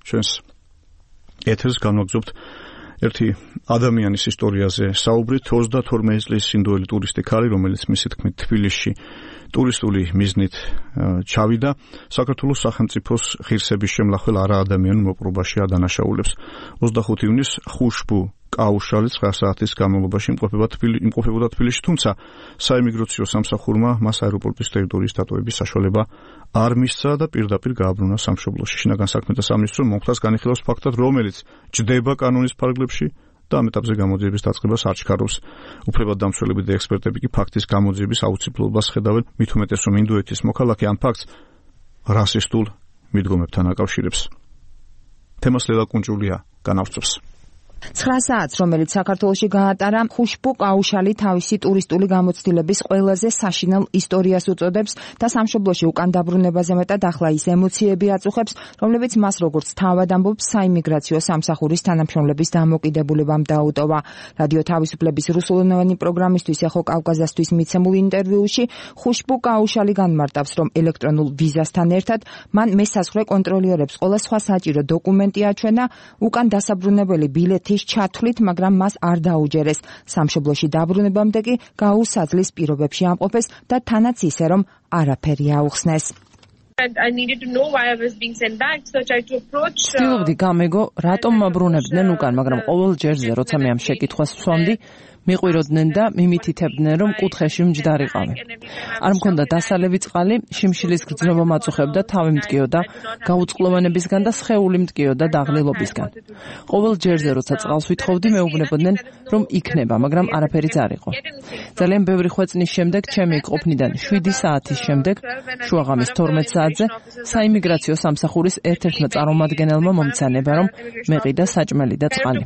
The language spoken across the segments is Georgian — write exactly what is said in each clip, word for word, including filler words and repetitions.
ჩვენს ეთერს განვაგრძობთ ერთი ადამიანის ისტორიაზე საუბრით. ოცდათორმეტი წლის ინდოელი ტურისტი ქალი, რომელიც მისი თქმით თბილისში ტურისტული მიზნით ჩავიდა, საქართველოს სახელმწიფოს ღირსების შემლახველ არაადამიანურ მოპყრობაში ადანაშაულებს. ოცდახუთი ივნისს ხუშბუ კაუშალი ცხრა საათის განმავლობაში იმყოფებოდა თბილისში, თუმცა საიმიგრაციო სამსახურმა მას აეროპორტის ტერიტორიის დატოვების საშუალება არ მისცა და პირდაპირ გააბრუნა სამშობლოში. შინაგან საქმეთა სამინისტრო მომხდარს განიხილავს ფაქტად, რომელიც ჯდება კანონის ფარგლებში და ამ ეტაპზე გამოძიების დაწყებას არ ჩქარობს. უფლებადდამცველები და ექსპერტები კი ფაქტის გამოძიების აუცილებლობას ხედავენ, მით უმეტეს რომ ინდოეთის მოქალაქე ამ ფაქტს რასისტულ მიდგომებთან აკავშირებს. თემას ლელა კუნჭულია განავსწრებს. ცხრა საათს, რომელიც საქართველოში გაატარა, ხუშბუ კაუშალი თავისი ტურისტული გამოცდილების ყველაზე საშინელ ისტორიას უწოდებს და სამშობლოში უკან დაბრუნებაზე მეტად ახლა ის ემოციები აწუხებს, რომლებიც მას როგორც თავად ამბობს საიმიგრაციო სამსახურის თანამშრომლების დამოკიდებულებამ დაუტოვა. რადიო თავისუფლების რუსულენოვანი პროგრამისთვის ეხო კავკაზასთვის მიცემულ ინტერვიუში ხუშბუ კაუშალი განმარტავს, რომ ელექტრონულ ვიზასთან ერთად მან მესაზღვრე კონტროლიორებს ყველა სხვა საჭირო დოკუმენტი აჩვენა უკან დასაბრუნებელი ბილეთი ჩათვლით, მაგრამ მას არ დაუჯერეს. სამშობლოში დაბრუნებამდე კი გაუსაძლის პირობებში ამყოფეს და თანაც ისე, რომ არაფერი აუხსნეს. ვცდილობდი გამეგო, რატომ მაბრუნებდნენ უკან, მაგრამ ყოველ ჯერზე, როცა მე ამ შეკითხვას ვსვამდი, მიყვიროდნენ და მიმითითებდნენ, რომ კუთხეში მჯდარიყავი. არ მქონდა დასალევი წყალი, შიმშილის გრძნობა მაწუხებდა, თავი მტკიოდა გაუწყლოვანებისგან და სხეული მტკიოდა დაღლილობისგან. ყოველ ჯერზე, როცა წყალს ვითხოვდი, მეუბნებოდნენ, რომ იქნება, მაგრამ არაფერიც არ იყო. ძალიან ბევრი ხვეწნის შემდეგ, ჩემი ყოფნიდან შვიდი საათის შემდეგ, შუაღამის თორმეტ საათზე, საიმიგრაციო სამსახურის ერთ-ერთმა წარმომადგენელმა მომცანება, რომ მეყიდა საჭმელი და წყალი.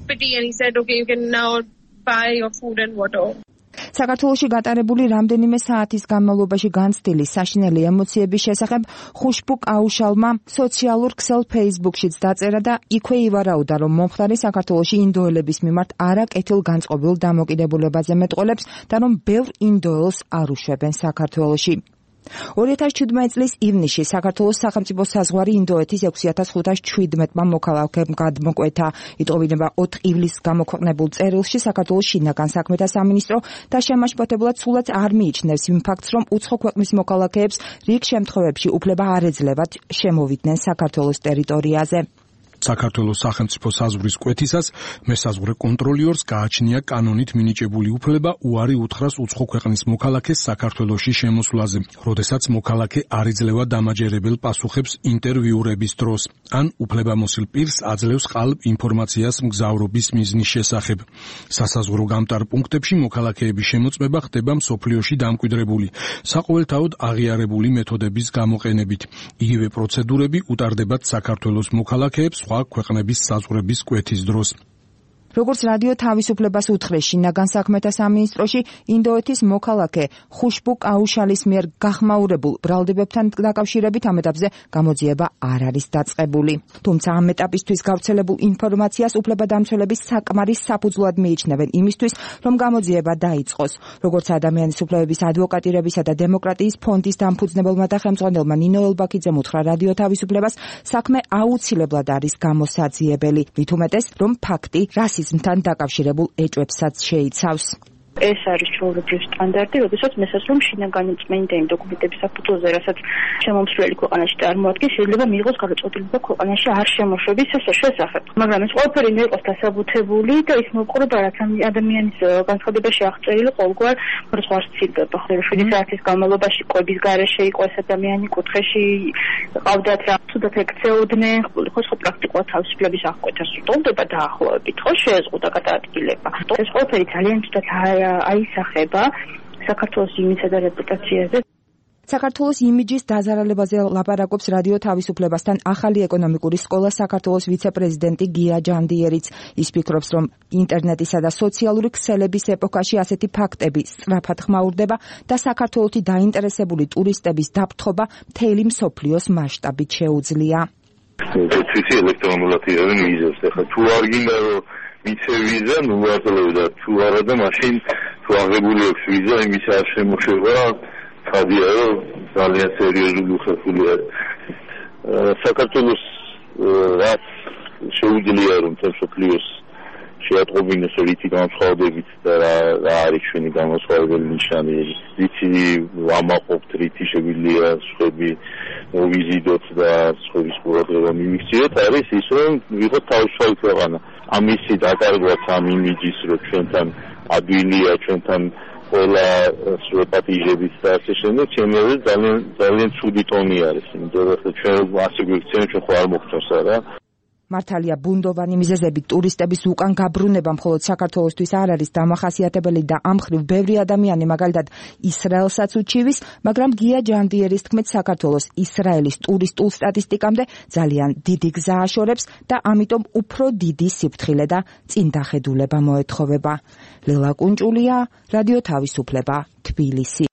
საქართველოში გატარებული რამდენიმე საათის განმავლობაში განცდილი საშინელი ემოციების შესახებ ხუშბუ კაუშალმა სოციალურ ქსელ Facebook-შიც დაწერა და იქვე ივარაუდა, რომ მომხდარი საქართველოში ინდოელების მიმართ არაკეთილ განწყობილ დამოკიდებულებაზე მეტყოლებს და რომ ბევრ ინდოელს არ უშვებენ საქართველოში. ორი ათას შვიდმეტი წლის ივნისში საქართველოს სახელმწიფო საზღვარი ინდოეთის ექვსი ათას ხუთას შვიდმეტმა მოქალაქემ გადმოკვეთა. იტყობინება ოთხ ივლისს გამოქვეყნებულ წერილში საქართველოს შინაგან საქმეთა სამინისტრო და შემაშფოთებლად სულაც არ მიიჩნევს იმ ფაქტს, რომ უცხო ქვეყნის მოქალაქეებს რიგ შემთხვევებში უფლება არ ეძლებათ შემოვიდნენ საქართველოს ტერიტორიაზე. საქართველოს სახელმწიფო საზღვრის კვეთისას მესაზღვრე კონტროლიორს გააჩნია კანონით მინიჭებული უფლება უარი უთხრას უცხო ქვეყნის მოქალაქეს საქართველოში შემოსვლაზე, როდესაც მოქალაქე არ იძლევა დამაჯერებელ პასუხებს ინტერვიურების დროს, ან უფლებამოსილ პირს აძლევს ყალბ ინფორმაციას მგზავრობის მიზნის შესახებ. სასაზღვრო გამტარ პუნქტებში მოქალაქეების შემოწმება ხდება მსოფლიოში დამკვიდრებული, საყოველთაოდ აღიარებული მეთოდების გამოყენებით. იგივე პროცედურები უტარდებათ საქართველოს მოქალაქეებს ქვეყნების საზღვრების კვეთის დროს. როგორც რადიო თავისუფლებას უთხრეს შინაგან საქმეთა სამინისტროში, ინდოეთის მოქალაქე ხუშბუ კაუშალის მიერ გახმაურებულ ბრალდებებთან დაკავშირებით ამ ეტაპზე გამოძიება არ არის დაწყებული. თუმცა ამ ეტაპისთვის გავრცელებულ ინფორმაციას უფლებადამცველები საკმარის საფუძვლად მიიჩნევენ იმისთვის, რომ გამოძიება დაიწყოს. როგორც ადამიანის უფლებების ადვოკატირებისა და დემოკრატიის ფონდის დამფუძნებელმა და ხელმძღვანელმა ნინო ელბაქიძემ უთხრა რადიო თავისუფლებას, საქმე აუცილებლად არის გამოსაძიებელი, მით უმეტეს, რომ ფაქტი რასიზმთან დაკავშირებულ ეჭვებსაც შეიცავს. ეს არის ჩვეულებრივი სტანდარტი, როდესაც მესაზღვრემ შინაგანი წმენდა იმ დოკუმენტების საფუძველზე, რასაც შემომსვლელი ქვეყანაში წარმოადგენს, შეიძლება მიიღოს გადაწყვეტილება ქვეყანაში არ შემოშვების შესახებ. მაგრამ ეს ყველაფერი უნდა იყოს დასაბუთებული და ის მოყრება, რაც ადამიანის განცხადებაში აღწერილი ყოველგვარ მრცხვარს ცილდება. შვიდი საათის განმავლობაში კვების გარეშე იყო ეს ადამიანი, კუთხეში ყავდათ რა, თუდად ექცეოდნენ, ხო ხო პრაქტიკულად თავისუფლების აღკვეთას უტოლდება დაახლოებით, ხო შეეზღუდა გადაადგილება. ეს ყველაფერი ძალიან თუდად აისახება საქართველოს იმიჯსა და რეპუტაციაზე. საქართველოს იმიჯის დაზარალებაზე ლაპარაკობს რადიო თავისუფლებასთან ახალი ეკონომიკური სკოლა საქართველოს ვიცე-პრეზიდენტი გია ჯანდიერიც. ის ფიქრობს, რომ ინტერნეტისა და სოციალური ქსელების ეპოქაში ასეთი ფაქტები სწრაფად ხმაურდება და საქართველოში დაინტერესებული ტურისტების დაფრთხობა მთელი მსოფლიოს მასშტაბით შეუძლია. თვისი ელექტრონულად იღებენ ვიზას. ახლა თუ არ გინდა რომ მიცე ვიზა, ნუ ვარძლევ და თუ არა და მაშინ თუ აღებული აქვს ვიზა, იმის არ შემოშება, ხადია რომ ძალიან სერიოზული უხერხული არის. საქართველოს რაც შეუძლია რომ თელ სოფლიოს შეატყობინოს რითი განსხვავებით და რა რა არის ჩვენი განსხვავებული ნიშანი რითი ვამაყობთ რითი შეგვიძლია სხვები მოვიზიდოთ და სხვების ყურადღება მივიქციოთ არის ის რომ ვიღოთ თავისუფალი ქვეყანა ამისი დაკარგვაც ამ იმიჯის რომ ჩვენთან ადვილია ჩვენთან ყველა სუპატიჟებით და ასე შემდეგ ჩემი ძალიან ძალიან ცუდი ტონი არის იმიტომ რომ ჩვენ ასე გვიქცევენ ჩვენ ხო არ მოგწონს რა მართალია ბუნდოვანი მიზეზებით ტურისტების უკან გაბრუნება მხოლოდ საქართველოსთვის არ არის დამახასიათებელი და ამ ხრივ ბევრი ადამიანი მაგალითად ისრაელსაც უჩივის, მაგრამ გია ჯანდიერის თქმით საქართველოს ისრაელის ტურისტულ სტატისტიკამდე ძალიან დიდი გზა აშორებს და ამიტომ უფრო დიდი სიფრთხილე და წინდახედულება მოეთხოვება. ლელა კუნჭულია, რადიო თავისუფლება, თბილისი.